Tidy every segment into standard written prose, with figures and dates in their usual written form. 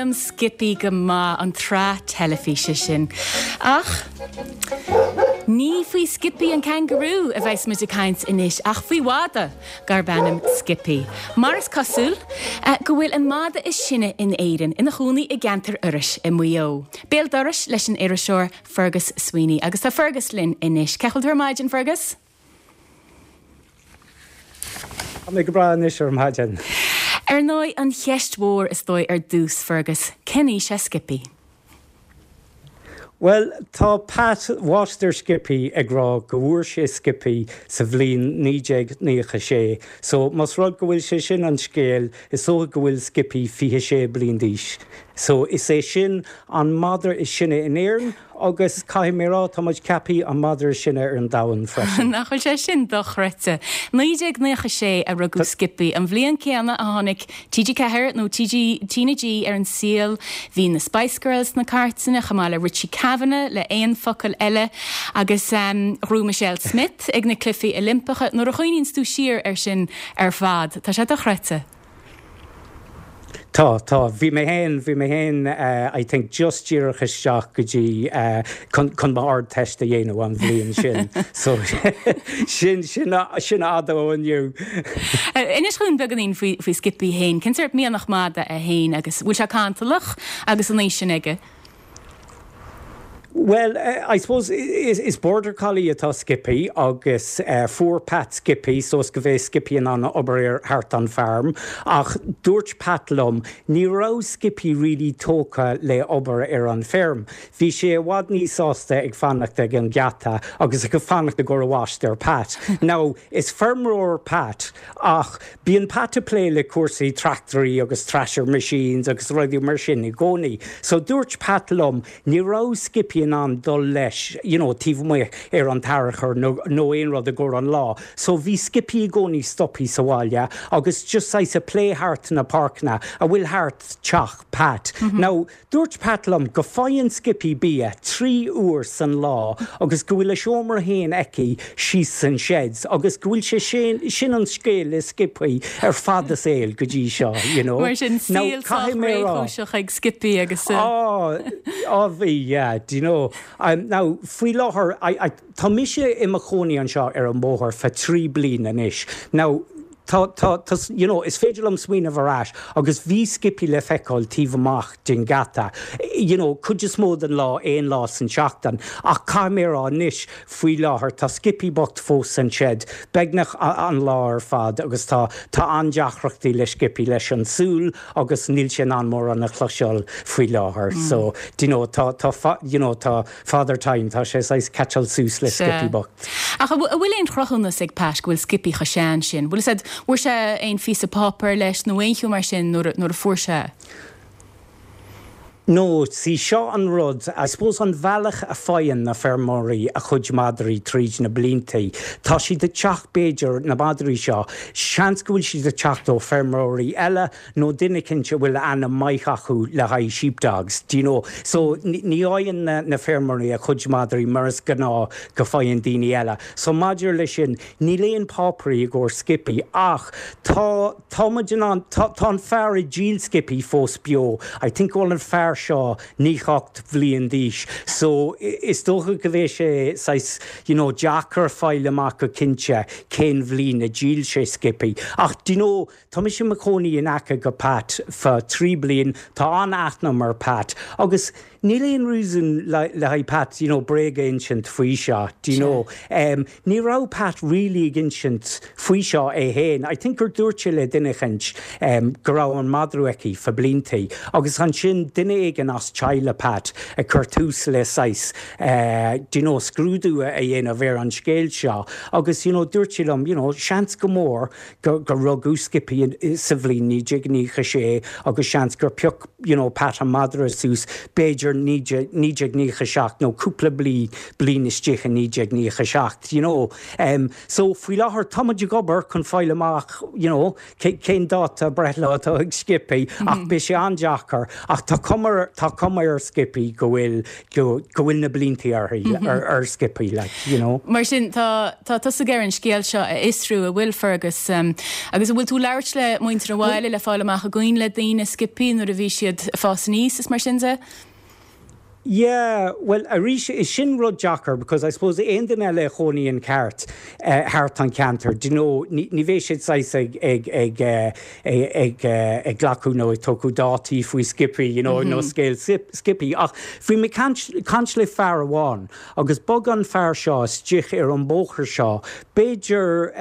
liom Skippy go maith, an tsraith teilifíse sin. Ach ní faoi Skippy an cangarú a bheas muid ag caint anois ach faoi mhadadh darb ainm Skippy. Mar is cosúil go bhfuil an madadh is sine in Éirinn ina chónaí i gceantar Iorrais i Maigh Eo. Béal dorais leis an iriseoir Fergus Sweeney. Agus tá Fergus linn anois. Cén chaoi a bhfuil tú ar maidin, Fergus? Tá mé go breá anois ar maidin. Ar ndóigh, an cheist mhór is dóigh ar dtús, Fergus, cén aois é Skippy? Bhuel, tá Pat, máistir Skippy, ag rá go bhfuair sé Skippy sa bhliain 1996. So, más rud go bhfuil sé sin an scéal, is dócha go bhfuil Skippy 26 bliain d'aois. So, is é sin an madra is sine in Éirinn Agus caithfidh mé a rá, tá muid ceaptha an madra is sine ar an domhan freisin. Nach bhfuil sé sin dochreidte? 1996 a rugadh Skippy, an bhliain céanna a tháinig TG4 nó TG, TnaG ar an saol. Bhí na Spice Girls sna cairteanna, chomh maith le Richie Kavanagh le Aon Focal Eile agus ghnóthaigh Michelle Smith ag na Cluichí Oilimpeacha. Nuair a chuimhníonns tú siar air sin ar fad, tá sé dochreidte. Tá, tá. Bhí mé féin, bhí mé féin I think just díreach isteach go dtí chun, chun m'Ardteist a dhéanamh an bhliain sin. So sin, sin, sin fhada ó inniu. Inis dhúinn beagáinín faoi, faoi Skippy féin. Cén sórt mianach mada é féin agus bhfuil sé cantalach agus an aois sin aige? Bhuel, I suppose is Border Collie atá Skippy agus fuair Pat Skippy so is go bheadh Skippy in ann obair ar thart an farm ach dúirt Pat liom ní raibh Skippy really tógtha le obair ar an feirm. Bhí sé i bhfad níos sásta ag fanacht ag an geata agus ag fanacht i gcomhair amhaist ar Pat. Now, is feirmeoir Pat ach Bíonn Pat ag plé le cúrsaí tractoirí agus thresher machines agus rudaí mar sin i gcónaí. So dúirt Pat liom ní raibh Skippy in ann dul leis you know taobh amuigh ar an t-arachar nó nó aon rud i gcomhair an lá. So bhí Skippy i gcónaí stopthaí sa bhaile agus just saghas ag plé thart na páirceanna a bhfuil thart teach Pat. Now Dúirt Pat liom go faigheann Skippy bia 3 uair san lá agus go bhfuil a seomra fhéin aici síos san sheds agus go bhfuil sé sin, sin an scéal le Skippy ar fad a saol go dtí seo, you know. Mar sin, Now, saol sách caithfidh mé a rá. réchúiseach ag Skippy agus. Á, á bhí, yeah, do you know. Now, faoi láthair, I, I, tá mise i mo chónaí anseo ar an mbóthar feadh 3 bliain anois. Now, Tá, tá, tá, you know, is féidir liom smaoineamh ar ais agus bhí Skippy le feiceáil taobh amach den gheata, you know, cuid is mó den lá, aon lá san tseachtain. Ach caithfidh mé a rá anois, faoi láthair, tá Skippy bocht fós san shed, beagnach an lá ar fad agus tá, tá an-deacrachtaí le Skippy leis an súil agus níl sé in ann mórán a chloiseáil faoi láthair. So, do you know, tá, tá, you know, tá, Father Time, tá sé saghas catcháil suas le Skippy bocht. Ach an bhfuil aon chruthúnas ag Pat go bhfuil Skippy chomh sean sin? Bhfuil fhios a'd, bhfuair sé aon phíosa páipéir leis nó aon cheo mar sin nuair a fuair sé é? No, see, seo an rud, I suppose an bhealach a faigheann na feirmeoirí a chuid madraí tríd na bliantaí, tá siad ag teacht b'fhéidir, na madraí seo, seans go bhfuil siad ag teacht ó feirmeoirí eile, nó duine eicínt a bhfuil ainm maith acu le haghaidh sheepdogs, do you know. So, ní fhaigheann na feirmeoirí a chuid madraí mar is gnáth go faigheann daoine eile. So, maidir le sin, níl aon páipéirí i gcomhair Skippy ach tá, tá muid in ann, tá, tá an fear a dhíol Skippy fós beo. I think go bhfuil an fear seo 98 bhliain d'aois. So, is dócha go bheidh sé saghas, you know, deacair fáil amach go cinnte cén bhliain a dhíol sé Skippy. Ach, do you know, Tá mise i mo chónaí in aice go Pat feadh 3 bliain, tá an-aithne agam ar Pat agus níl aon reason le haghaidh Pat you know bréag a insint faoi seo, do you know. Ní raibh Pat really ag insint faoi seo é fhéin, I think gur dúirt sé le duine eicint go raibh an madra aici feadh bliantaí agus ansin duine éigin as teaghlach Pat ag cur tús le saghas do you know scrúdú a dhéanamh ar an scéal seo agus you know dúirt sé liom you know seans go mór gur rugadh Skippy sa bhliain 1996 agus seans gur phioc you know Pat an madra suas b'fhéidir. b'fhéidir 1997 nó cúpla bliain istigh i 1997, you know. So faoi láthair tá muid ag obair chun fáil amach, you know, cén dáta breithlá atá ag Skippy ach beidh sé an-deacair ach tá cuma, tá cuma ar Skippy go bhfuil, go bhfuil na blianta uirthi, ar Skippy like, you know. Mar sin, tá, tá tusa ag iarraidh an scéal seo a fhiosrú, an bhfuil, Fergus? Agus an bhfuil tú ag labhairt le muintir an bhaile le fáil amach an gcuimhin le daoine Skippy nuair a bhí siad ag fás aníos is mar sin de? Yeah, bhuel arís, is sin rud deacair because I suppose aon duine eile a chónaíonn ceart thart an ceantar, do you know, ní, ní bheidh siad saghas ag, ag, ag, ag, ag glacadh nó ag tógadh dátaí faoi Skippy, you know, nó scéal Skippy. Ach bhí mé caint, caint le fear amháin agus bhog an fear seo istigh ar an bóthar seo b'fhéidir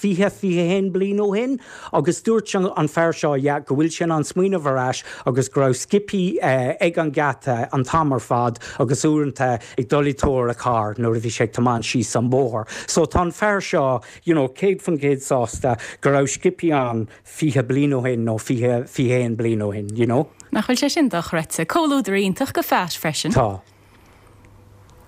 20, 21 bliain ó shin agus dúirt an fear seo, yeah, go bhfuil sé in ann smaoineamh ar ais agus go raibh Skippy ag an geata an t-am ar fad agus uaireanta ag dul i dtóir a charr nuair a bhí sé ag tiomáint síos an bóthar. So tá an fear seo, you know, 100% sásta go raibh Skippy ann 20 bliain ó shin nó 20, 21 bliain ó shin, you know. Nach bhfuil sé sin dochreidte? Comhluadar iontach do Phat freisin. Tá.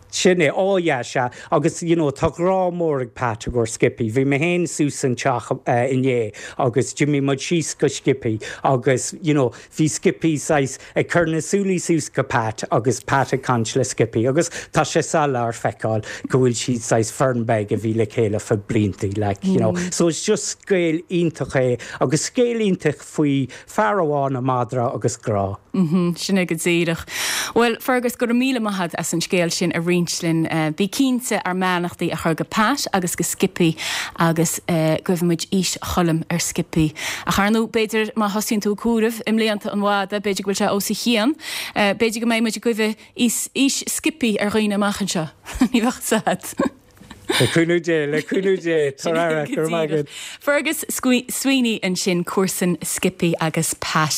Sin é. Ó yeah, sea. Agus, you know, tá grá mór ag Pat i gcomhair Skippy. Bhí mé féin suas an teach inné agus d'imigh muid síos go Skippy agus, you know, bhí Skippy saghas ag cur na súilí suas go Pat agus Pat ag caint le Skippy agus tá sé soiléir feiceáil go bhfuil siad saghas foireann beag a bhí le chéile fá bliantaí, like, you know. So it's just scéal iontach é agus scéal iontach faoi fear amháin, a madra agus grá. Sin é go díreach. Bhuel, Fergus, go raibh míle maith agat as an scéal sin a roinnt linn. Bí cinnte ár mbeannachtaí a chur go Pat agus go Skippy agus guífimid aois Choilm ar Skippy. Ach ar ndóigh, b'fhéidir má thosaíonn tú ag comhaireamh i mblianta an mhada, b'fhéidir go bhfuil sé os a chionn. B'fhéidir go mbeidh muid ag guí aois Skippy ar dhaoine amach anseo. Ní bheadh fhios agat. Le cúnamh Dé, le cúnamh Dé, tabhair aire, go raibh maith agat. Fergus Sweeney ansin, comharsan Skippy agus Pat.